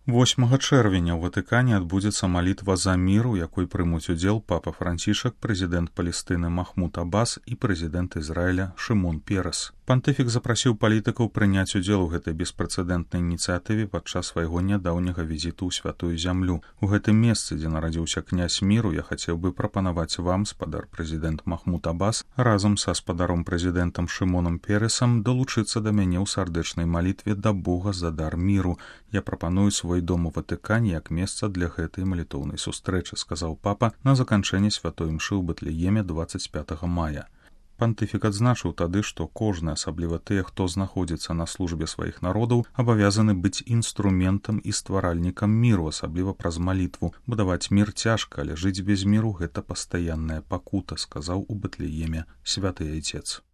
8 чэрвеня ў Ватыкане адбудзецца малітва за мір, у якой прымуць удзел папа Францішак, прэзідэнт Палестыны Махмуд Аббас і прэзідэнт Ізраіля Шымон Перес. Пантыфік запрасіў палітыкаў прыняць удзел у гэтай беспрэцэдэнтнай ініцыятыве падчас свайго нядаўняга візіту ў святую зямлю. У гэтым месцы, дзе нарадзіўся князь міру, я хацеў бы прапанаваць вам, спадар прэзідэнт Махмуд Аббас, разам са спадаром прэзідэнтам Шымонам Пересам далучыцца да мяне ў сардэчнай малітве да Бога за дар міру. Я прапаную свой дом у Ватыкане як месца для гэтай малітоўнай сустрэчы, сказаў папа на заканчэнні святой імшы ў Бэтлееме 25 мая. Пантыфік адзначыў тады, што кожны, асабліва тыя, хто знаходзіцца на службе сваіх народаў, абавязаны быць інструментам і стваральнікам міру, асабліва праз малітву. Будаваць мір цяжка, але жыць без міру — гэта пастаянная пакута, сказаў у Бэтлееме святы айцец.